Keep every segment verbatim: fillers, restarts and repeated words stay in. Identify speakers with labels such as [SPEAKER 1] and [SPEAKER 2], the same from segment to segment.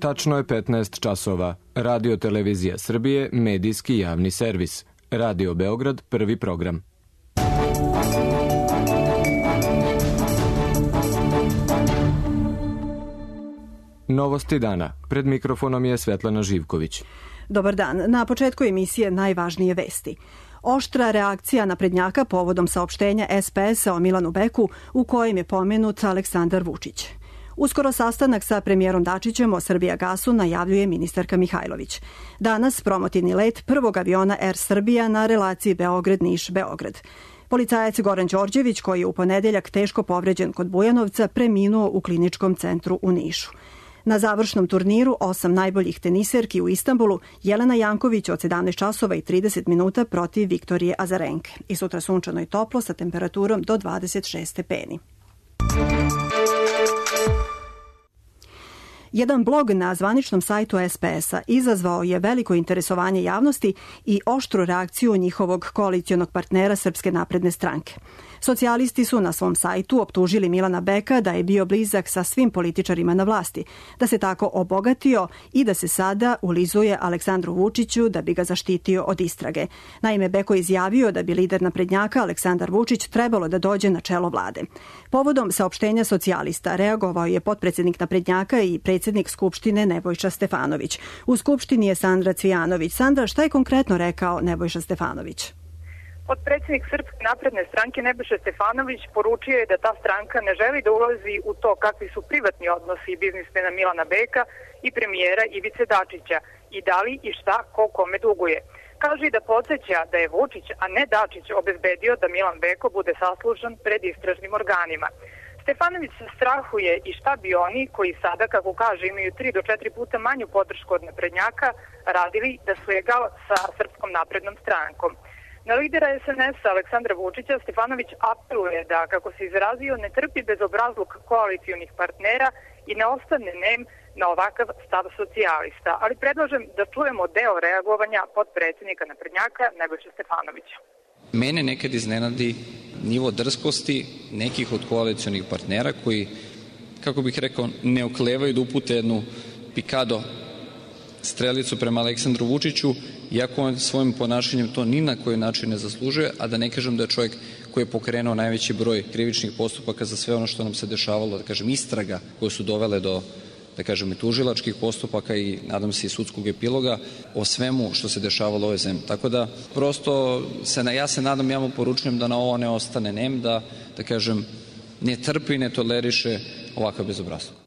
[SPEAKER 1] Tačno je petnaest časova. Radio Televizija Srbije, medijski javni servis. Radio Beograd, prvi program. Novosti dana. Pred mikrofonom je Svetlana Živković.
[SPEAKER 2] Dobar dan. Na početku emisije najvažnije vesti. Oštra reakcija naprednjaka povodom saopštenja es pe es a o Milanu Beku u kojem je pomenut Aleksandar Vučić. Uskoro sastanak sa premijerom Dačićem o Srbijagasu najavljuje ministarka Mihajlović. Danas promotivni let prvog aviona Er Srbija na relaciji Beograd-Niš-Beograd. Policajac Goran Đorđević, koji je u ponedeljak teško povređen kod Bujanovca, preminuo u kliničkom centru u Nišu. Na završnom turniru osam najboljih teniserki u Istanbulu Jelena Janković od sedamnaest časova i trideset minuta protiv Viktorije Azarenke. I sutra sunčano i toplo sa temperaturom do dvadeset šest stepeni. Jedan blog na zvaničnom sajtu es pe es a izazvao je veliko interesovanje javnosti i oštru reakciju njihovog koalicionog partnera Srpske napredne stranke. Socijalisti su na svom sajtu optužili Milana Beka da je bio blizak sa svim političarima na vlasti, da se tako obogatio i da se sada ulizuje Aleksandru Vučiću da bi ga zaštitio od istrage. Naime, Beko je izjavio da bi lider naprednjaka Aleksandar Vučić trebalo da dođe na čelo vlade. Povodom saopštenja socijalista reagovao je potpredsednik naprednjaka i predsednik Skupštine Nebojša Stefanović. U Skupštini je Sandra Cvijanović. Sandra, šta je konkretno rekao Nebojša Stefanović?
[SPEAKER 3] Potpredsjednik Srpske napredne stranke Nebojša Stefanović poručio je da ta stranka ne želi da ulazi u to kakvi su privatni odnosi biznismena Milana Beka i premijera Ivice Dačića i da li i šta ko kome duguje. Kaže i da podsjeća da je Vučić, a ne Dačić, obezbedio da Milan Beko bude saslušan pred istražnim organima. Stefanović se strahuje i šta bi oni, koji sada, kako kaže, imaju tri do četiri puta manju podršku od naprednjaka, radili da su egal sa Srpskom naprednom strankom. Na lidera es en es a Aleksandra Vučića Stefanović apeluje da, kako se izrazio, ne trpi bezobrazluk koalicijonih partnera i ne ostane nem na ovakav stav socijalista. Ali predlažem da čujemo deo reagovanja potpredsjednika naprednjaka Nebojše Stefanovića.
[SPEAKER 4] Mene nekad iznenadi nivo drskosti nekih od koalicijonih partnera koji, kako bih rekao, ne oklevaju da upute jednu pikado strelicu prema Aleksandru Vučiću, iako on svojim ponašanjem to ni na koji način ne zaslužuje, a da ne kažem da je čovjek koji je pokrenuo najveći broj krivičnih postupaka za sve ono što nam se dešavalo, da kažem, istraga koje su dovele do, da kažem, tužilačkih postupaka i nadam se i sudskog epiloga o svemu što se dešavalo u ovoj zemlji. Tako da prosto se, ja se nadam, ja mu poručujem da na ovo ne ostane nem, da, da kažem, ne trpi i ne toleriše ovakav bezobrazluk.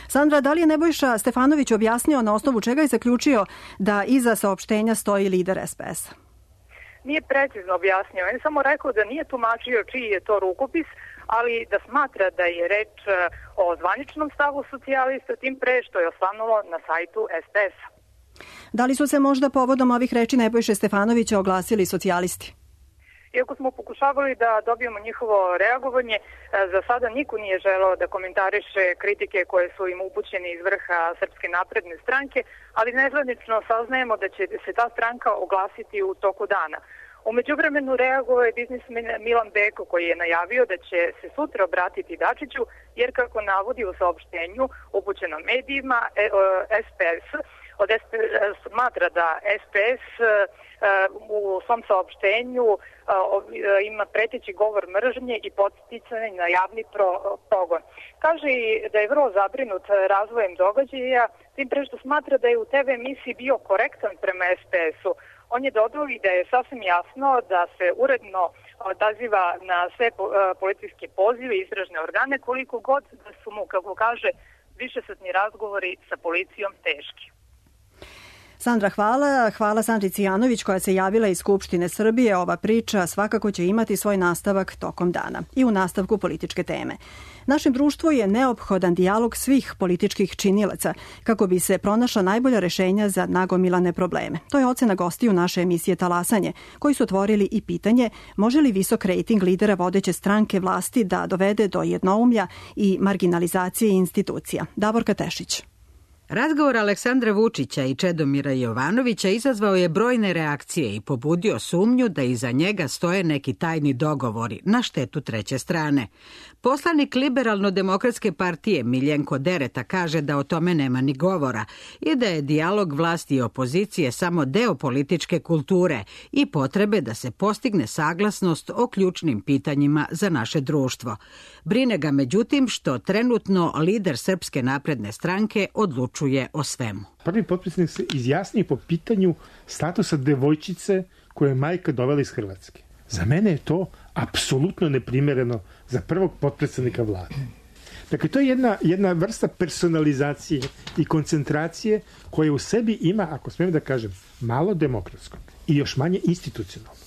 [SPEAKER 2] Sandra, da li je Nebojša Stefanović objasnio na osnovu čega je zaključio da iza saopštenja stoji lider es pe es a?
[SPEAKER 3] Nije precizno objasnio. On je samo rekao da nije tumačio čiji je to rukopis, ali da smatra da je reč o zvaničnom stavu socijalista, tim pre što je osvanulo na sajtu es pe es a.
[SPEAKER 2] Da li su se možda povodom ovih reči Nebojše Stefanovića oglasili socijalisti?
[SPEAKER 3] Iako smo pokušavali da dobijemo njihovo reagovanje, za sada niko nije želeo da komentariše kritike koje su im upućene iz vrha Srpske napredne stranke, ali nezvanično saznajemo da će se ta stranka oglasiti u toku dana. U međuvremenu reagovao je biznismen Milan Beko, koji je najavio da će se sutra obratiti Dačiću, jer kako navodi u saopštenju upućenom medijima, es pe es od es pe es smatra da es pe es u svom saopštenju ima preteći govor mržnje i podsticanje na javni progon. Kaže i da je vrlo zabrinut razvojem događaja, tim pre što smatra da je u te ve emisiji bio korektan prema es pe es u. On je dodao i da je sasvim jasno da se uredno odaziva na sve policijske pozive i istražne organe, koliko god da su mu, kako kaže, višesatni razgovori sa policijom teški.
[SPEAKER 2] Sandra, hvala. Hvala Sandri Cvijanović koja se javila iz Skupštine Srbije. Ova priča svakako će imati svoj nastavak tokom dana. I u nastavku političke teme. Našem društvu je neophodan dijalog svih političkih činilaca kako bi se pronašla najbolja rešenja za nagomilane probleme. To je ocena gostiju naše emisije Talasanje, koji su otvorili i pitanje može li visok rejting lidera vodeće stranke vlasti da dovede do jednoumlja i marginalizacije institucija. Davorka Tešić.
[SPEAKER 5] Razgovor Aleksandra Vučića i Čedomira Jovanovića izazvao je brojne reakcije i pobudio sumnju da iza njega stoje neki tajni dogovori na štetu treće strane. Poslanik Liberalno-demokratske partije Miljenko Dereta kaže da o tome nema ni govora i da je dijalog vlasti i opozicije samo deo političke kulture i potrebe da se postigne saglasnost o ključnim pitanjima za naše društvo. Brine ga međutim što trenutno lider Srpske napredne stranke odlučuje o svemu.
[SPEAKER 6] Prvi potpredsjednik se izjasni po pitanju statusa devojčice koju je majka dovela iz Hrvatske. Za mene je to apsolutno neprimereno za prvog potpredsjednika vlade. Dakle, to je jedna, jedna vrsta personalizacije i koncentracije koja u sebi ima, ako smijem da kažem, malo demokratskog i još manje institucionalnog.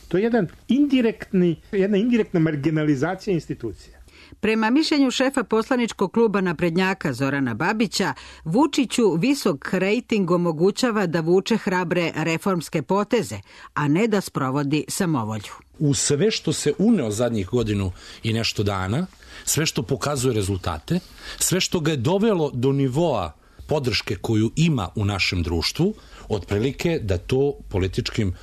[SPEAKER 6] To je jedan indirektni, jedna indirektna marginalizacija institucija.
[SPEAKER 5] Prema mišljenju šefa poslaničkog kluba naprednjaka Zorana Babića, Vučiću visok rejting omogućava da vuče hrabre reformske poteze, a ne da sprovodi samovolju.
[SPEAKER 7] U sve što se uneo zadnjih godinu i nešto dana, sve što pokazuje rezultate, sve što ga je dovelo do nivoa podrške koju ima u našem društvu, otprilike da to političkim,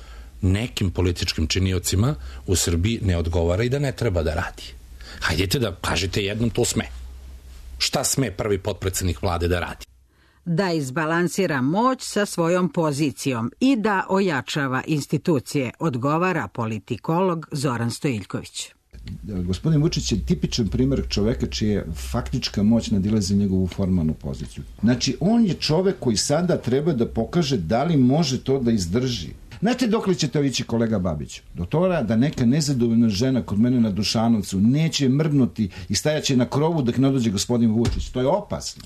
[SPEAKER 7] nekim političkim činiocima u Srbiji ne odgovara i da ne treba da radi. Hajdete da kažete jednom to sme. Šta sme prvi potpredsjednik vlade da radi?
[SPEAKER 5] Da izbalansira moć sa svojom pozicijom i da ojačava institucije, odgovara politikolog Zoran Stojiljković.
[SPEAKER 8] Gospodin Vučić je tipičan primjer čoveka čija faktička moć nadilazi njegovu formalnu poziciju. Znači, on je čovek koji sada treba da pokaže da li može to da izdrži. Znate dok li će to ići, kolega Babić? Do toga da neka nezadovoljna žena kod mene na Dušanovcu neće mrdnuti i stajaće na krovu dok ne dođe gospodin Vučić. To je opasno.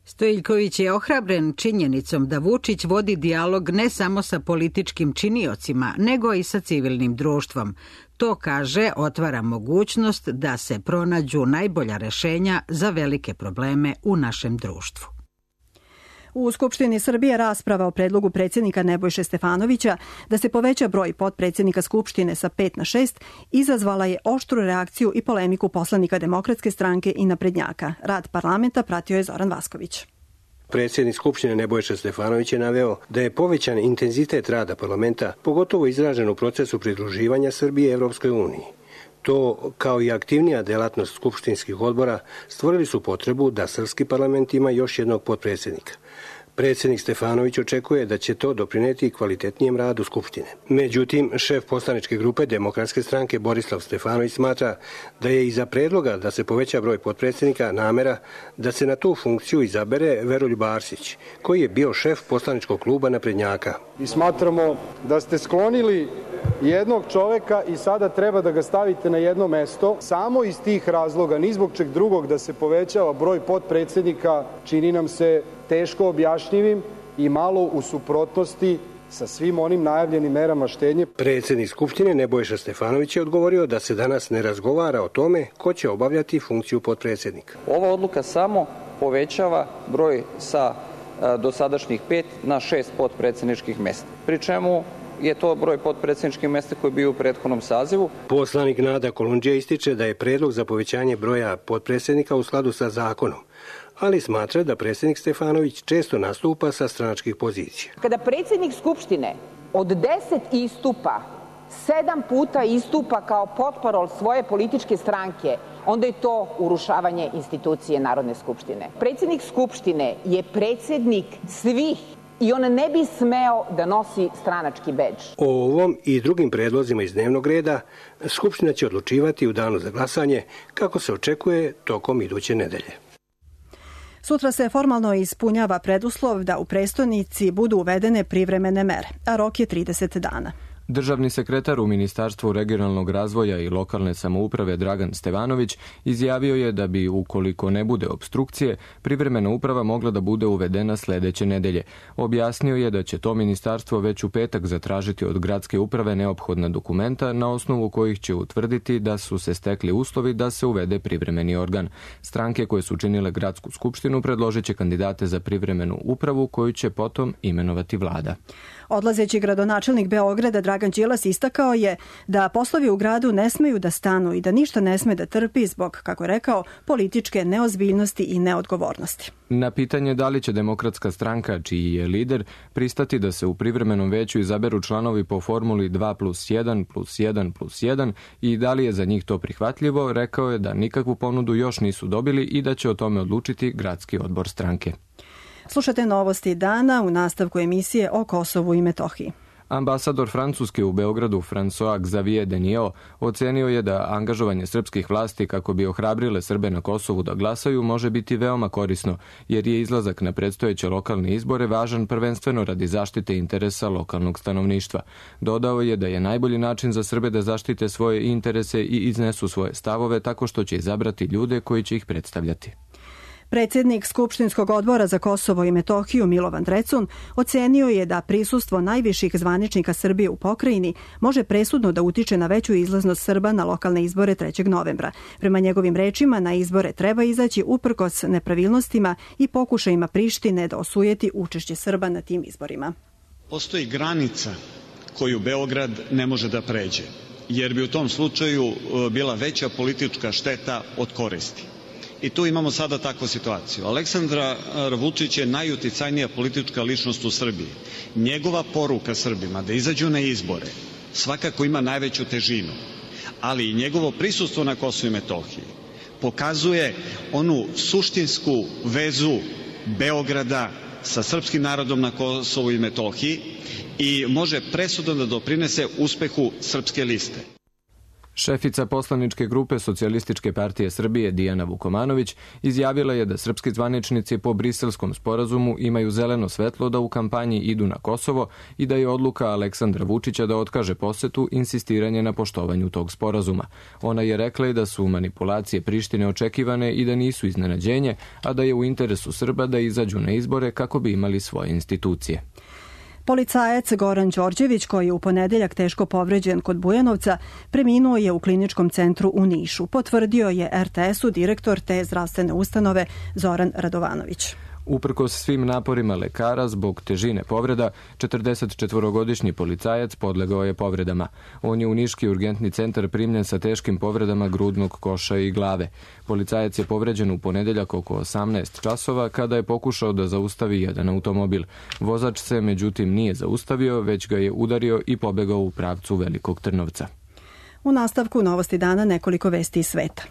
[SPEAKER 5] Stojiljković je ohrabren činjenicom da Vučić vodi dijalog ne samo sa političkim činiocima, nego i sa civilnim društvom. To, kaže, otvara mogućnost da se pronađu najbolja rešenja za velike probleme u našem društvu.
[SPEAKER 2] U Skupštini Srbije rasprava o predlogu predsjednika Nebojše Stefanovića da se poveća broj potpredsjednika Skupštine sa pet na šest izazvala je oštru reakciju i polemiku poslanika Demokratske stranke i naprednjaka. Rad parlamenta pratio je Zoran Vasković.
[SPEAKER 9] Predsjednik Skupštine Nebojša Stefanović je naveo da je povećan intenzitet rada parlamenta, pogotovo izražen u procesu pridruživanja Srbije Evropskoj uniji. To, kao i aktivnija delatnost skupštinskih odbora, stvorili su potrebu da srpski parlament ima još jednog potpredsjednika. Predsjednik Stefanović očekuje da će to doprineti kvalitetnijem radu Skupštine. Međutim, šef poslaničke grupe Demokratske stranke Borislav Stefanović smatra da je iza predloga da se poveća broj potpredsjednika namera da se na tu funkciju izabere Veroljub Arsić, koji je bio šef poslaničkog kluba naprednjaka.
[SPEAKER 10] I smatramo da ste sklonili jednog čoveka i sada treba da ga stavite na jedno mesto. Samo iz tih razloga, ni zbog čeg drugog da se povećava broj potpredsjednika, čini nam se teško objašnjivim i malo u suprotnosti sa svim onim najavljenim merama štednje.
[SPEAKER 9] Predsjednik Skupštine Nebojša Stefanović je odgovorio da se danas ne razgovara o tome ko će obavljati funkciju potpredsjednika.
[SPEAKER 11] Ova odluka samo povećava broj sa dosadašnjih pet na šest potpredsjedničkih mesta. Pri čemu je to broj potpredsjedničkih mesta koji je bio u prethodnom sazivu.
[SPEAKER 9] Poslanik Nada Kolundžija ističe da je predlog za povećanje broja potpredsjednika u skladu sa zakonom, ali smatra da predsjednik Stefanović često nastupa sa stranačkih pozicija.
[SPEAKER 12] Kada predsjednik Skupštine od deset istupa, sedam puta istupa kao potparol svoje političke stranke, onda je to urušavanje institucije Narodne skupštine. Predsjednik Skupštine je predsjednik svih i on ne bi smeo da nosi stranački bedž.
[SPEAKER 9] O ovom i drugim predlozima iz dnevnog reda Skupština će odlučivati u danu za glasanje, kako se očekuje tokom iduće nedelje.
[SPEAKER 2] Sutra se formalno ispunjava preduslov da u prestonici budu uvedene privremene mere, a rok je trideset dana.
[SPEAKER 1] Državni sekretar u Ministarstvu regionalnog razvoja i lokalne samouprave Dragan Stevanović izjavio je da bi, ukoliko ne bude opstrukcije, privremena uprava mogla da bude uvedena sledeće nedelje. Objasnio je da će to ministarstvo već u petak zatražiti od gradske uprave neophodna dokumenta na osnovu kojih će utvrditi da su se stekli uslovi da se uvede privremeni organ. Stranke koje su činile gradsku skupštinu predložit će kandidate za privremenu upravu koju će potom imenovati vlada.
[SPEAKER 2] Odlazeći gradonačelnik Beograda Dragan Đilas istakao je da poslovi u gradu ne smeju da stanu i da ništa ne sme da trpi zbog, kako je rekao, političke neozbiljnosti i neodgovornosti.
[SPEAKER 1] Na pitanje da li će Demokratska stranka, čiji je lider, pristati da se u privremenom veću izaberu članovi po formuli dva plus jedan plus jedan plus jedan i da li je za njih to prihvatljivo, rekao je da nikakvu ponudu još nisu dobili i da će o tome odlučiti gradski odbor stranke.
[SPEAKER 2] Slušate novosti dana u nastavku emisije o Kosovu i Metohiji.
[SPEAKER 1] Ambasador Francuske u Beogradu François Xavier Deniot ocenio je da angažovanje srpskih vlasti kako bi ohrabrile Srbe na Kosovu da glasaju može biti veoma korisno, jer je izlazak na predstojeće lokalne izbore važan prvenstveno radi zaštite interesa lokalnog stanovništva. Dodao je da je najbolji način za Srbe da zaštite svoje interese i iznesu svoje stavove tako što će izabrati ljude koji će ih predstavljati.
[SPEAKER 2] Predsjednik Skupštinskog odbora za Kosovo i Metohiju Milovan Drecun ocenio je da prisustvo najviših zvaničnika Srbije u pokrajini može presudno da utiče na veću izlaznost Srba na lokalne izbore trećeg novembra. Prema njegovim rečima, na izbore treba izaći uprkos nepravilnostima i pokušajima Prištine da osujeti učešće Srba na tim izborima.
[SPEAKER 13] Postoji granica koju Beograd ne može da pređe, jer bi u tom slučaju bila veća politička šteta od koristi. I tu imamo sada takvu situaciju. Aleksandar Vučić je najuticajnija politička ličnost u Srbiji. Njegova poruka Srbima da izađu na izbore svakako ima najveću težinu, ali i njegovo prisustvo na Kosovu i Metohiji pokazuje onu suštinsku vezu Beograda sa srpskim narodom na Kosovu i Metohiji i može presudno da doprinese uspehu Srpske liste.
[SPEAKER 1] Šefica poslaničke grupe Socijalističke partije Srbije Dijana Vukomanović izjavila je da srpski zvaničnici po Briselskom sporazumu imaju zeleno svetlo da u kampanji idu na Kosovo i da je odluka Aleksandra Vučića da otkaže posetu insistiranje na poštovanju tog sporazuma. Ona je rekla i da su manipulacije Prištine očekivane i da nisu iznenađenje, a da je u interesu Srba da izađu na izbore kako bi imali svoje institucije.
[SPEAKER 2] Policajac Goran Đorđević, koji je u ponedeljak teško povređen kod Bujanovca, preminuo je u kliničkom centru u Nišu. Potvrdio je er te esu direktor te zdravstvene ustanove Zoran Radovanović.
[SPEAKER 1] Uprkos svim naporima lekara zbog težine povreda, četrdesetčetvorogodišnji policajac podlegao je povredama. On je u Niški urgentni centar primljen sa teškim povredama grudnog koša i glave. Policajac je povređen u ponedeljak oko osamnaest časova kada je pokušao da zaustavi jedan automobil. Vozač se međutim nije zaustavio, već ga je udario i pobegao u pravcu Velikog Trnovca.
[SPEAKER 2] U nastavku novosti dana nekoliko vesti iz sveta.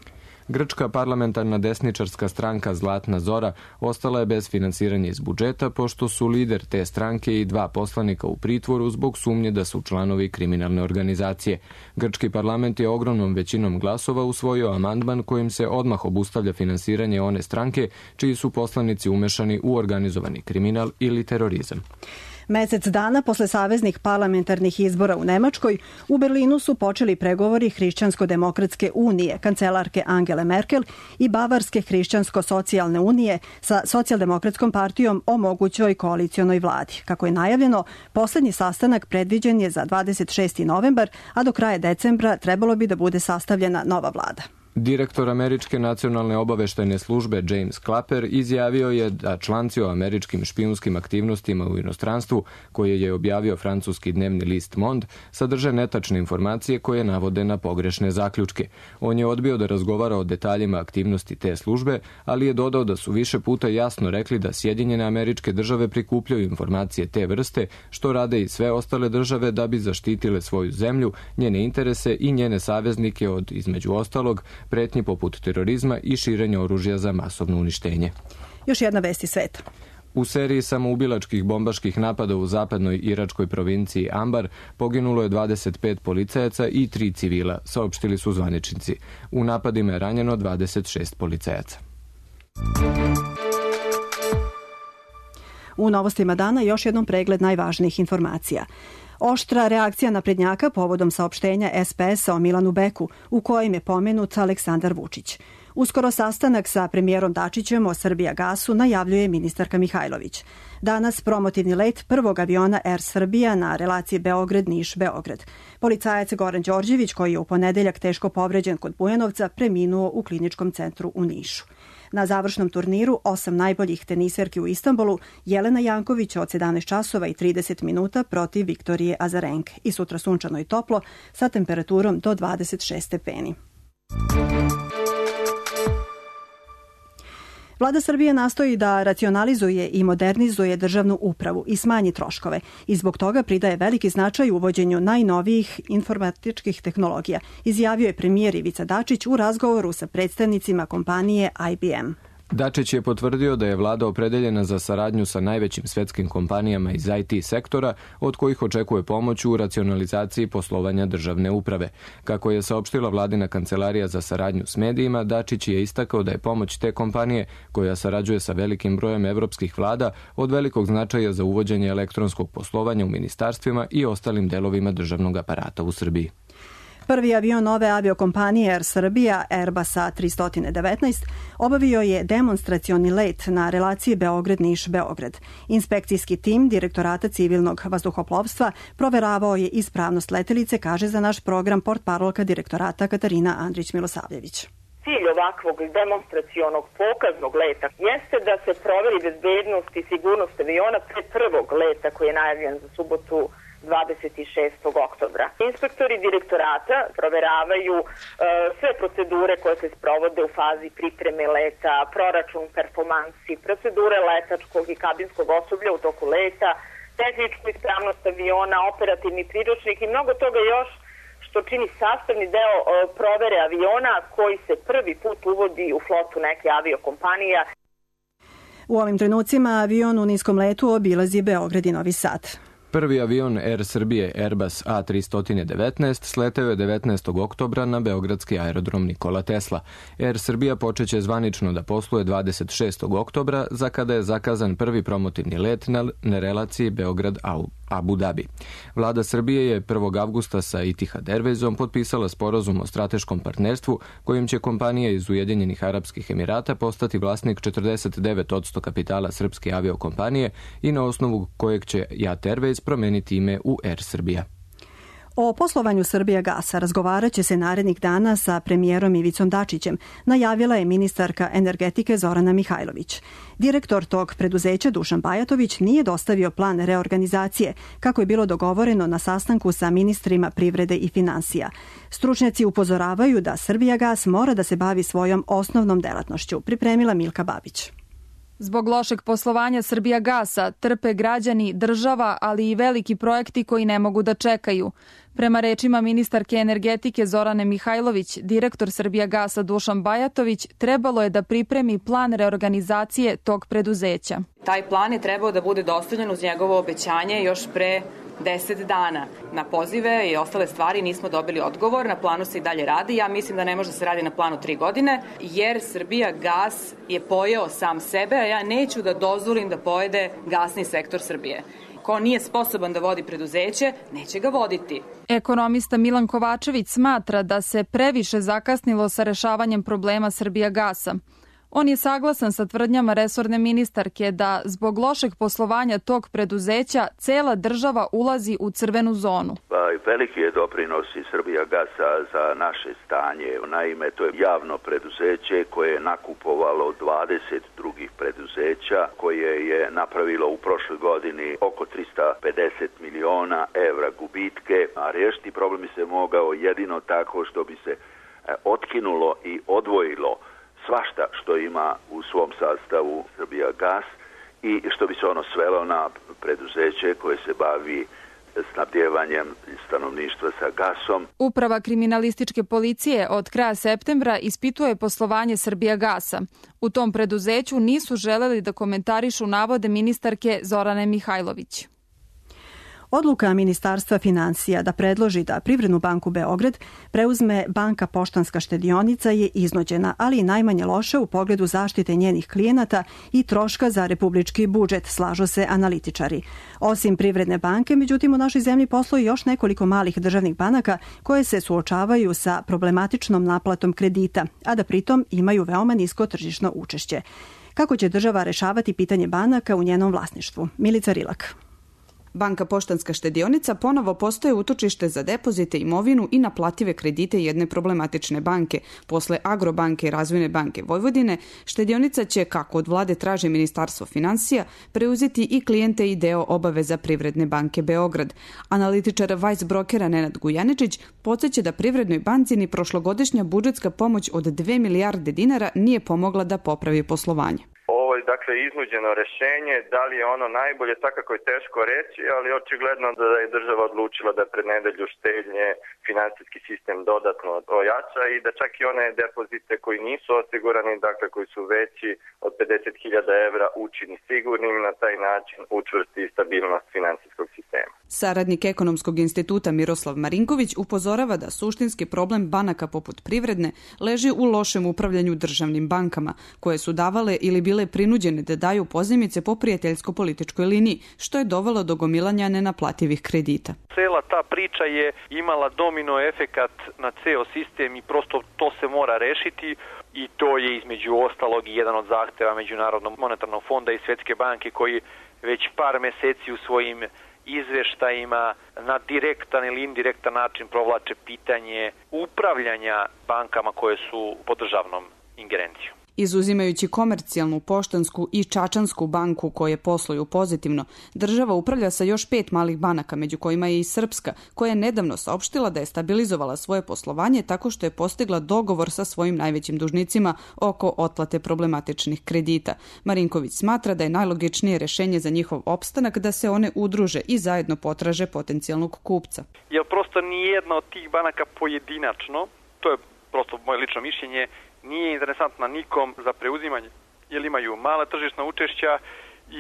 [SPEAKER 1] Grčka parlamentarna desničarska stranka Zlatna Zora ostala je bez finansiranja iz budžeta, pošto su lider te stranke i dva poslanika u pritvoru zbog sumnje da su članovi kriminalne organizacije. Grčki parlament je ogromnom većinom glasova usvojio amandman kojim se odmah obustavlja finansiranje one stranke čiji su poslanici umešani u organizovani kriminal ili terorizam.
[SPEAKER 2] Mesec dana posle saveznih parlamentarnih izbora u Nemačkoj, u Berlinu su počeli pregovori Hrišćansko-demokratske unije, kancelarke Angele Merkel i Bavarske hrišćansko-socijalne unije sa socijaldemokratskom partijom o mogućoj koalicionoj vladi. Kako je najavljeno, poslednji sastanak predviđen je za dvadeset šesti novembar, a do kraja decembra trebalo bi da bude sastavljena nova vlada.
[SPEAKER 1] Direktor Američke nacionalne obaveštajne službe James Clapper izjavio je da članci o američkim špijunskim aktivnostima u inostranstvu, koje je objavio francuski dnevni list Monde, sadrže netačne informacije koje navode na pogrešne zaključke. On je odbio da razgovara o detaljima aktivnosti te službe, ali je dodao da su više puta jasno rekli da Sjedinjene Američke Države prikupljaju informacije te vrste, što rade i sve ostale države da bi zaštitile svoju zemlju, njene interese i njene saveznike od, između ostalog, pretnji poput terorizma i širenja oružja za masovno uništenje.
[SPEAKER 2] Još jedna vest iz sveta.
[SPEAKER 1] U seriji samoubilačkih bombaških napada u zapadnoj iračkoj provinciji Ambar poginulo je dvadeset pet policajaca i tri civila, saopštili su zvaničnici. U napadima je ranjeno dvadeset šest policajaca.
[SPEAKER 2] U novostima dana još jednom pregled najvažnijih informacija. Oštra reakcija naprednjaka povodom saopštenja es pe esa o Milanu Beku, u kojem je pomenut Aleksandar Vučić. Uskoro sastanak sa premijerom Dačićem o Srbijagasu najavljuje ministarka Mihajlović. Danas promotivni let prvog aviona Air Srbija na relaciji Beograd-Niš-Beograd. Policajac Goran Đorđević, koji je u ponedeljak teško povređen kod Bujanovca, preminuo u kliničkom centru u Nišu. Na završnom turniru osam najboljih teniserki u Istanbulu Jelena Janković od sedamnaest časova i trideset minuta protiv Viktorije Azarenke i sutra sunčano i toplo sa temperaturom do dvadeset šest stepeni. Vlada Srbije nastoji da racionalizuje i modernizuje državnu upravu i smanji troškove i zbog toga pridaje veliki značaj uvođenju najnovijih informatičkih tehnologija, izjavio je premijer Ivica Dačić u razgovoru sa predstavnicima kompanije I B M.
[SPEAKER 1] Dačić je potvrdio da je vlada opredeljena za saradnju sa najvećim svetskim kompanijama iz I T sektora, od kojih očekuje pomoć u racionalizaciji poslovanja državne uprave. Kako je saopštila vladina kancelarija za saradnju s medijima, Dačić je istakao da je pomoć te kompanije, koja sarađuje sa velikim brojem evropskih vlada, od velikog značaja za uvođenje elektronskog poslovanja u ministarstvima i ostalim delovima državnog aparata u Srbiji.
[SPEAKER 2] Prvi avion nove aviokompanije Air Srbija, Airbus A tri devetnaest, obavio je demonstracioni let na relaciji Beograd-Niš-Beograd. Inspekcijski tim Direktorata civilnog vazduhoplovstva proveravao je ispravnost letelice, kaže za naš program portparolka Direktorata Katarina Andrić-Milosavljević.
[SPEAKER 14] Cilj ovakvog demonstracionog pokaznog leta jeste da se proveri bezbednost i sigurnost aviona pre prvog leta koji je najavljen za subotu dvadeset šestog oktobra. Inspektori direktorata proveravaju e, sve procedure koje se sprovode u fazi pripreme leta, proračun performansi, procedure letačkog i kabinskog osoblja u toku leta, tehničku ispravnost aviona, operativni priručnik i mnogo toga još što čini sastavni deo e, provere aviona koji se prvi put uvodi u flotu neke aviokompanija.
[SPEAKER 2] U ovim trenucima avion u niskom letu obilazi Beograd i Novi Sad.
[SPEAKER 1] Prvi avion Air Srbije Airbus A tri devetnaest sleteo je devetnaestog oktobra na beogradski aerodrom Nikola Tesla. Air Srbija počeće zvanično da posluje dvadeset šestog oktobra, za kada je zakazan prvi promotivni let na, na relaciji Beograd-Abu Dhabi. Vlada Srbije je prvog avgusta sa Etihad Airwaysom potpisala sporazum o strateškom partnerstvu kojim će kompanija iz Ujedinjenih Arapskih Emirata postati vlasnik četrdeset devet posto kapitala srpske aviokompanije i na osnovu kojeg će Jat Airways promeniti ime u Air Srbija.
[SPEAKER 2] O poslovanju Srbijagasa razgovarat će se narednih dana sa premijerom Ivicom Dačićem, najavila je ministarka energetike Zorana Mihajlović. Direktor tog preduzeća Dušan Bajatović nije dostavio plan reorganizacije, kako je bilo dogovoreno na sastanku sa ministrima privrede i finansija. Stručnjaci upozoravaju da Srbijagas mora da se bavi svojom osnovnom delatnošću, pripremila Milka Babić.
[SPEAKER 15] Zbog lošeg poslovanja Srbijagasa trpe građani, država, ali i veliki projekti koji ne mogu da čekaju. Prema rečima ministarke energetike Zorane Mihajlović, direktor Srbijagasa Dušan Bajatović trebalo je da pripremi plan reorganizacije tog preduzeća.
[SPEAKER 16] Taj plan je trebao da bude dostavljen uz njegovo obećanje još pre deset dana. Na pozive i ostale stvari nismo dobili odgovor, na planu se i dalje radi. Ja mislim da ne može da se radi na planu tri godine, jer Srbijagas je pojeo sam sebe, a ja neću da dozvolim da pojede gasni sektor Srbije. Ko nije sposoban da vodi preduzeće, neće ga voditi.
[SPEAKER 15] Ekonomista Milan Kovačević smatra da se previše zakasnilo sa rešavanjem problema Srbijagasa. On je saglasan sa tvrdnjama resorne ministarke da zbog lošeg poslovanja tog preduzeća cela država ulazi u crvenu zonu.
[SPEAKER 17] Pa, veliki je doprinos i Srbijagasa za naše stanje. Naime, to je javno preduzeće koje je nakupovalo dvadeset drugih preduzeća, koje je napravilo u prošloj godini oko trista pedeset miliona evra gubitke, a riješiti problem bi se mogao jedino tako što bi se otkinulo i odvojilo svašta što ima u svom sastavu Srbijagas i što bi se ono svelo na preduzeće koje se bavi snabdjevanjem stanovništva sa gasom.
[SPEAKER 15] Uprava kriminalističke policije od kraja septembra ispituje poslovanje Srbijagasa. U tom preduzeću nisu želeli da komentarišu navode ministarke Zorane Mihajlović.
[SPEAKER 2] Odluka Ministarstva finansija da predloži da Privrednu banku Beograd preuzme Banka Poštanska štedionica je iznuđena, ali i najmanje loša u pogledu zaštite njenih klijenata i troška za republički budžet, slažu se analitičari. Osim Privredne banke, međutim u našoj zemlji posluje još nekoliko malih državnih banaka koje se suočavaju sa problematičnom naplatom kredita, a da pritom imaju veoma nisko tržišno učešće. Kako će država rešavati pitanje banaka u njenom vlasništvu? Milica Rilak.
[SPEAKER 18] Banka Poštanska štedionica ponovo postaje utočište za depozite, imovinu i naplative kredite jedne problematične banke. Posle Agrobanke i Razvojne banke Vojvodine, štedionica će, kako od vlade traži Ministarstvo finansija, preuzeti i klijente i deo obaveza Privredne banke Beograd. Analitičar Vice brokera Nenad Gujaničić podsjeća da Privrednoj banci ni prošlogodišnja budžetska pomoć od dve milijarde dinara nije pomogla da popravi poslovanje.
[SPEAKER 19] Dakle, iznuđeno rešenje, da li je ono najbolje, svakako je teško reći, ali očigledno da je država odlučila da pred nedelju štednje finansijski sistem dodatno ojača i da čak i one depozite koji nisu osigurani, dakle koji su veći od pedeset hiljada evra, učini sigurnim, na taj način učvrsti stabilnost finansijskog sistema.
[SPEAKER 18] Saradnik Ekonomskog instituta Miroslav Marinković upozorava da suštinski problem banaka poput Privredne leži u lošem upravljanju državnim bankama, koje su davale ili bile prinuđene da daju pozajmice po prijateljsko-političkoj liniji, što je dovelo do gomilanja nenaplativih kredita.
[SPEAKER 20] Cela ta priča je imala domino efekat na ceo sistem i prosto to se mora rešiti i to je između ostalog i jedan od zahteva Međunarodnog monetarnog fonda i Svetske banke koji već par meseci u svojim izveštajima na direktan ili indirektan način provlače pitanje upravljanja bankama koje su pod državnom ingerencijom.
[SPEAKER 18] Izuzimajući komercijalnu, poštansku i čačansku banku koje posluju pozitivno, država upravlja sa još pet malih banaka, među kojima je i Srpska, koja je nedavno saopštila da je stabilizovala svoje poslovanje tako što je postigla dogovor sa svojim najvećim dužnicima oko otplate problematičnih kredita. Marinković smatra da je najlogičnije rešenje za njihov opstanak da se one udruže i zajedno potraže potencijalnog kupca.
[SPEAKER 20] Jer prosto nijedna od tih banaka pojedinačno, to je prosto moje lično mišljenje, nije interesantna nikom za preuzimanje, jer imaju mala tržišna učešća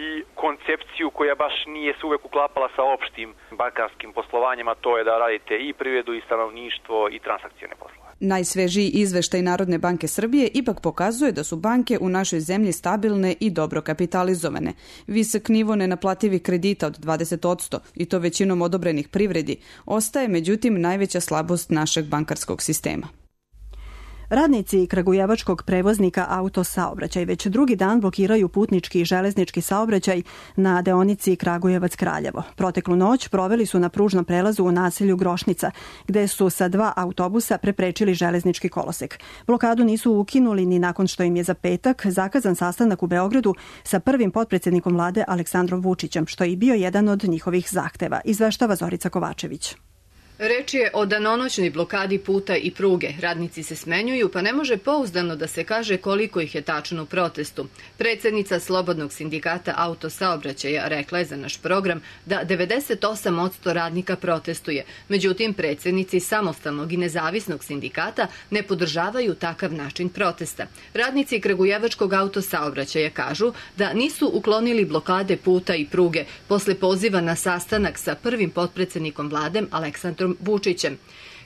[SPEAKER 20] i koncepciju koja baš nije se uvek uklapala sa opštim bankarskim poslovanjima, to je da radite i privredu i stanovništvo i transakcione poslove.
[SPEAKER 18] Najsvežiji izveštaj Narodne banke Srbije ipak pokazuje da su banke u našoj zemlji stabilne i dobro kapitalizovane. Visok nivo nenaplativih kredita od dvadeset posto i to većinom odobrenih privredi ostaje međutim najveća slabost našeg bankarskog sistema.
[SPEAKER 2] Radnici kragujevačkog prevoznika Autosaobraćaj već drugi dan blokiraju putnički i železnički saobraćaj na deonici Kragujevac-Kraljevo. Proteklu noć proveli su na pružnom prelazu u naselju Grošnica, gde su sa dva autobusa preprečili železnički kolosek. Blokadu nisu ukinuli ni nakon što im je za petak zakazan sastanak u Beogradu sa prvim potpredsednikom vlade Aleksandrom Vučićem, što je i bio jedan od njihovih zahteva, izveštava Zorica Kovačević.
[SPEAKER 21] Reč je o danonoćnoj blokadi puta i pruge. Radnici se smenjuju, pa ne može pouzdano da se kaže koliko ih je tačno u protestu. Predsednica Slobodnog sindikata Autosaobraćaja rekla je za naš program da devedeset osam posto radnika protestuje. Međutim, predsednici Samostalnog i nezavisnog sindikata ne podržavaju takav način protesta. Radnici Kragujevačkog Autosaobraćaja kažu da nisu uklonili blokade puta i pruge posle poziva na sastanak sa prvim potpredsednikom vlade Aleksandrom Vučićem.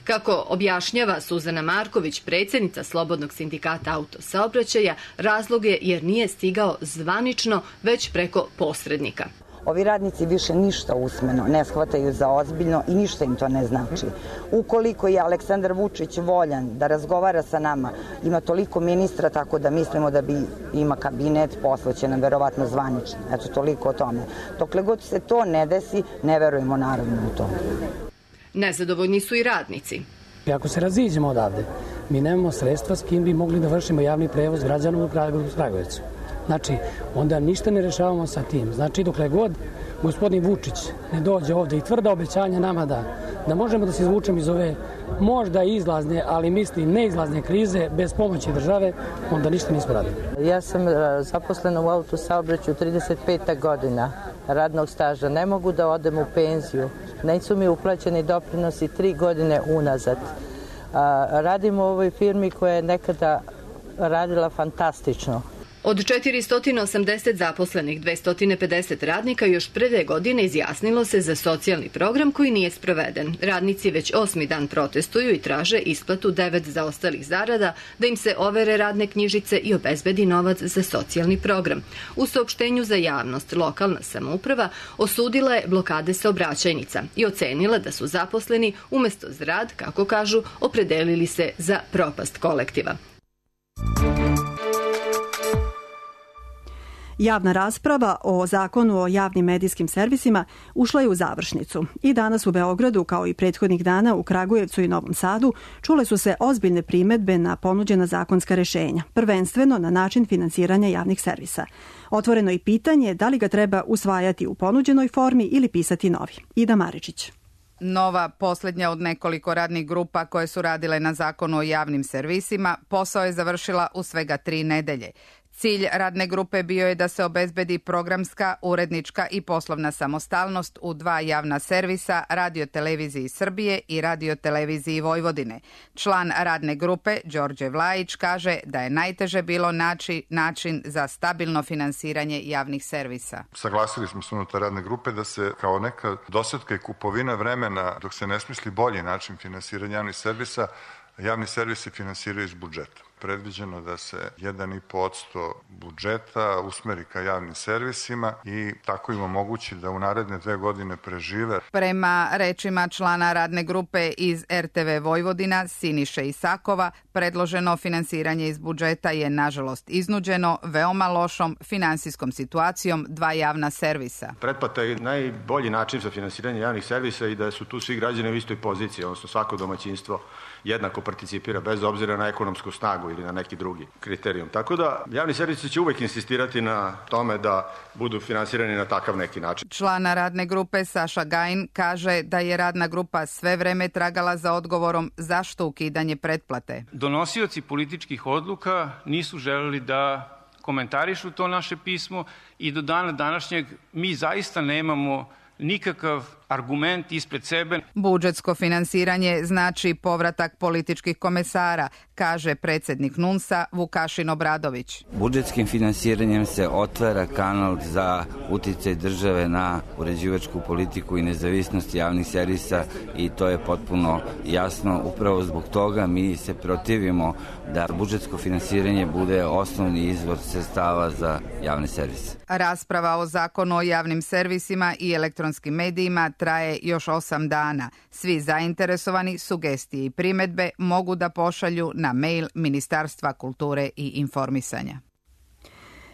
[SPEAKER 21] Kako objašnjava Suzana Marković, predsednica Slobodnog sindikata Autosaobraćaja, razlog je jer nije stigao zvanično, već preko posrednika.
[SPEAKER 22] Ovi radnici više ništa usmeno ne shvataju za ozbiljno i ništa im to ne znači. Ukoliko je Aleksandar Vučić voljan da razgovara sa nama, ima toliko ministra, tako da mislimo da bi ima kabinet, poslaće nam verovatno zvanično. Eto, toliko o tome. Dokle god se to ne desi, ne verujemo naravno u to.
[SPEAKER 21] Nezadovoljni su i radnici.
[SPEAKER 23] Ako se raziđemo odavde, mi nemamo sredstva s kim bi mogli da vršimo javni prevoz građana u Kragujevcu. Znači, onda ništa ne rešavamo sa tim. Znači, dokle god gospodin Vučić ne dođe ovde i tvrda obećanja nama da, da možemo da se izvučemo iz ove možda izlazne, ali mislim neizlazne krize bez pomoći države, onda ništa nismo radili.
[SPEAKER 24] Ja sam zaposlena u autosaobraćaju trideset peta godina radnog staža. Ne mogu da odem u penziju. Nisu mi uplaćeni doprinosi tri godine unazad. Radim u ovoj firmi koja je nekada radila fantastično.
[SPEAKER 21] Od četiristo osamdeset zaposlenih, dvesta pedeset radnika još pre dve godine izjasnilo se za socijalni program koji nije sproveden. Radnici već osmi dan protestuju i traže isplatu devet zaostalih zarada, da im se overe radne knjižice i obezbedi novac za socijalni program. U saopštenju za javnost lokalna samouprava osudila je blokade saobraćajnica i ocenila da su zaposleni umesto za rad, kako kažu, opredelili se za propast kolektiva.
[SPEAKER 2] Javna rasprava o zakonu o javnim medijskim servisima ušla je u završnicu i danas u Beogradu, kao i prethodnih dana u Kragujevcu i Novom Sadu, čule su se ozbiljne primedbe na ponuđena zakonska rešenja, prvenstveno na način finansiranja javnih servisa. Otvoreno je pitanje da li ga treba usvajati u ponuđenoj formi ili pisati novi. Ida Maričić.
[SPEAKER 3] Nova, posljednja od nekoliko radnih grupa koje su radile na zakonu o javnim servisima, posao je završila u svega tri nedelje. Cilj radne grupe bio je da se obezbedi programska, urednička i poslovna samostalnost u dva javna servisa, Radio-televiziji Srbije i Radio-televiziji Vojvodine. Član radne grupe, Đorđe Vlajić, kaže da je najteže bilo naći način za stabilno finansiranje javnih servisa.
[SPEAKER 4] Saglasili smo se unutar radne grupe da se kao neka dosetka i kupovina vremena, dok se ne smisli bolji način finansiranja javnih servisa, javni servisi finansiraju iz budžeta. Predviđeno da se jedan i po posto budžeta usmeri ka javnim servisima i tako im omogući da u naredne dve godine prežive.
[SPEAKER 3] Prema rečima člana radne grupe iz er te ve Vojvodina, Siniše Isakova, predloženo finansiranje iz budžeta je nažalost iznuđeno veoma lošom finansijskom situacijom dva javna servisa.
[SPEAKER 6] Pretplata je najbolji način za finansiranje javnih servisa i da su tu svi građani u istoj poziciji, odnosno svako domaćinstvo jednako participira bez obzira na ekonomsku snagu ili na neki drugi kriterijum. Tako da javni servisi će uvek insistirati na tome da budu finansirani na takav neki način.
[SPEAKER 3] Člana radne grupe Saša Gajin kaže da je radna grupa sve vreme tragala za odgovorom zašto ukidanje pretplate.
[SPEAKER 7] Donosioci političkih odluka nisu želeli da komentarišu to naše pismo i do dana današnjeg mi zaista nemamo nikakav argument ispred sebe.
[SPEAKER 3] Budžetsko finansiranje znači povratak političkih komesara, kaže predsjednik NUNS-a Vukašin Obradović.
[SPEAKER 25] Budžetskim finansiranjem se otvara kanal za uticaj države na uređivačku politiku i nezavisnost javnih servisa i to je potpuno jasno. Upravo zbog toga mi se protivimo da budžetsko finansiranje bude osnovni izvor sredstava za javne servise.
[SPEAKER 3] Rasprava o zakonu o javnim servisima i elektronskim medijima traje još osam dana. Svi zainteresovani sugestije i primedbe mogu da pošalju na mail Ministarstva kulture i informisanja.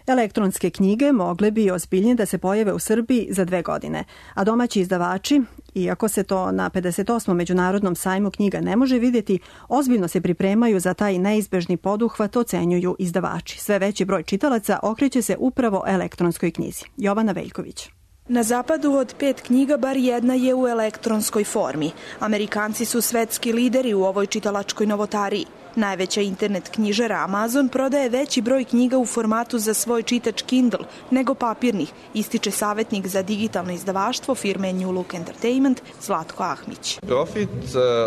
[SPEAKER 2] Elektronske knjige mogle bi ozbiljnije da se pojave u Srbiji za dve godine, a domaći izdavači, iako se to na pedeset osmom međunarodnom sajmu knjiga ne može vidjeti, ozbiljno se pripremaju za taj neizbežni poduhvat, ocenjuju izdavači. Sve veći broj čitalaca okreće se upravo elektronskoj knjizi. Jovana Veljković.
[SPEAKER 26] Na zapadu od pet knjiga bar jedna je u elektronskoj formi. Amerikanci su svetski lideri u ovoj čitalačkoj novotariji. Najveća internet knjižara Amazon prodaje veći broj knjiga u formatu za svoj čitač Kindle nego papirnih, ističe savjetnik za digitalno izdavaštvo firme New Look Entertainment Zlatko Ahmić.
[SPEAKER 27] Profit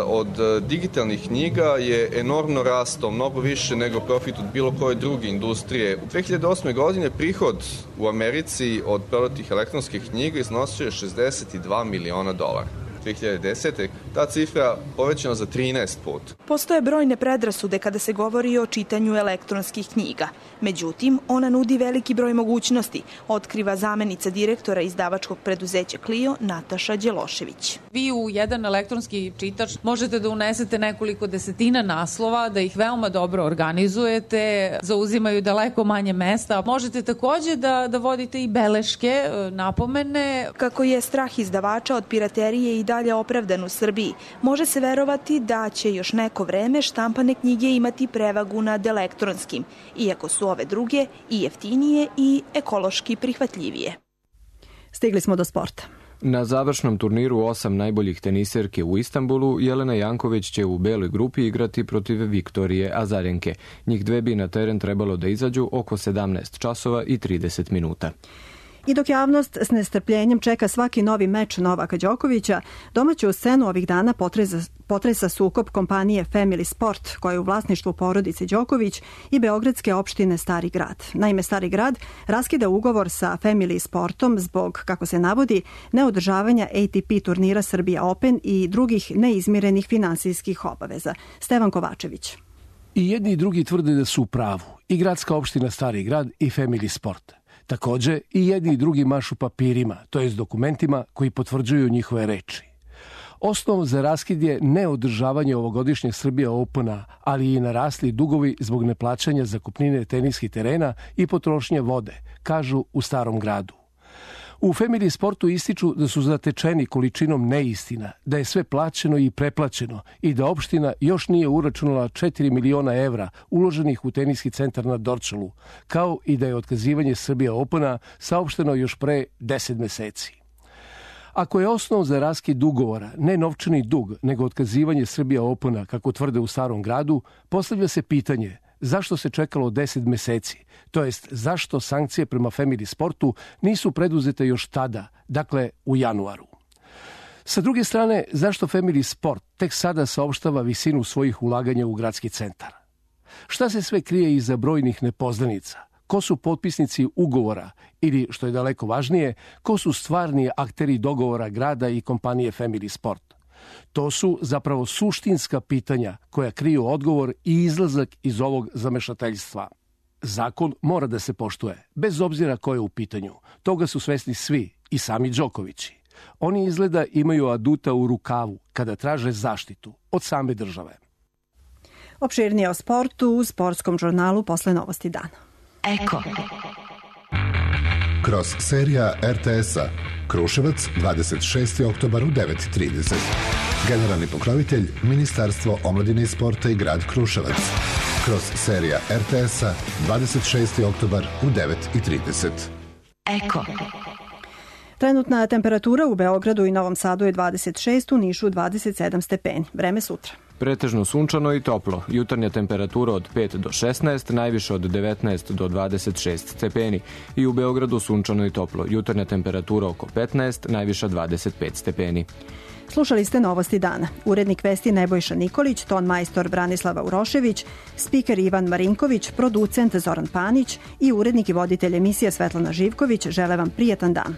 [SPEAKER 27] od digitalnih knjiga je enormno rastao, mnogo više nego profit od bilo koje druge industrije. U dve hiljade osme godine prihod u Americi od prodatih elektronskih knjiga iznosio je šezdeset dva miliona dolara. dve hiljade desete. ta cifra povećana za trinaest puta.
[SPEAKER 26] Postoje brojne predrasude kada se govori o čitanju elektronskih knjiga. Međutim, ona nudi veliki broj mogućnosti, otkriva zamenica direktora izdavačkog preduzeća Clio Nataša Đelošević.
[SPEAKER 28] Vi u jedan elektronski čitač možete da unesete nekoliko desetina naslova, da ih veoma dobro organizujete, zauzimaju daleko manje mesta. Možete takođe da, da vodite i beleške, napomene.
[SPEAKER 26] Kako je strah izdavača od piraterije i dalje opravdan u Srbiji, može se verovati da će još neko vreme štampane knjige imati prevagu nad elektronskim, iako su ove druge i jeftinije i ekološki prihvatljivije.
[SPEAKER 2] Stigli smo do sporta.
[SPEAKER 1] Na završnom turniru osam najboljih teniserke u Istanbulu, Jelena Janković će u beloj grupi igrati protiv Viktorije Azarenke. Njih dve bi na teren trebalo da izađu oko sedamnaest časova i trideset minuta.
[SPEAKER 2] I dok javnost s nestrpljenjem čeka svaki novi meč Novaka Đokovića, domaću scenu ovih dana potresa, potresa sukob kompanije Family Sport, koja je u vlasništvu porodice Đoković, i beogradske opštine Stari grad. Naime, Stari grad raskida ugovor sa Family Sportom zbog, kako se navodi, neodržavanja A T P turnira Srbija Open i drugih neizmirenih finansijskih obaveza. Stevan Kovačević.
[SPEAKER 5] I jedni i drugi tvrde da su u pravu. I gradska opština Stari grad i Family Sport. Takođe, i jedni i drugi mašu papirima, to jest dokumentima koji potvrđuju njihove reči. Osnov za raskid je neodržavanje ovogodišnjeg Srbija Opena, ali i narasli dugovi zbog neplaćanja zakupnine teniskih terena i potrošnje vode, kažu u Starom gradu. U Family Sportu ističu da su zatečeni količinom neistina, da je sve plaćeno i preplaćeno i da opština još nije uračunala četiri miliona evra uloženih u teniski centar na Dorčolu, kao i da je otkazivanje Srbija Opena saopšteno još pre deset meseci. Ako je osnov za raskid ugovora ne novčani dug, nego otkazivanje Srbija Opena, kako tvrde u Starom gradu, postavlja se pitanje zašto se čekalo deset meseci, to jest zašto sankcije prema Family Sportu nisu preduzete još tada, dakle u januaru. Sa druge strane, zašto Family Sport tek sada saopštava visinu svojih ulaganja u gradski centar? Šta se sve krije iza brojnih nepoznanica? Ko su potpisnici ugovora ili, što je daleko važnije, ko su stvarni akteri dogovora grada i kompanije Family Sport? To su zapravo suštinska pitanja koja kriju odgovor i izlazak iz ovog zamešateljstva. Zakon mora da se poštuje, bez obzira ko je u pitanju. Toga su svesni svi, i sami Đokovići. Oni izgleda imaju aduta u rukavu kada traže zaštitu od same države.
[SPEAKER 2] Opširnije o sportu u sportskom žurnalu posle Novosti dana.
[SPEAKER 8] Eko. Kroz serija R T S-a Kruševac, dvadeset šesti oktobar u devet i trideset. Generalni pokrovitelj Ministarstvo omladine i sporta i grad Kruševac. Kroz serija R T S-a dvadeset šesti oktobar u devet i trideset.
[SPEAKER 2] Eko. Trenutna temperatura u Beogradu i Novom Sadu je dvadeset šest, u Nišu dvadeset sedam stepeni. Vreme sutra.
[SPEAKER 1] Pretežno sunčano i toplo. Jutarnja temperatura od pet do šesnaest, najviše od devetnaest do dvadeset šest stepeni. I u Beogradu sunčano i toplo. Jutarnja temperatura oko petnaest, najviša dvadeset pet stepeni.
[SPEAKER 2] Slušali ste Novosti dana. Urednik vesti Nebojša Nikolić, ton majstor Branislava Urošević, spiker Ivan Marinković, producent Zoran Panić i urednik i voditelj emisije Svetlana Živković žele vam prijatan dan.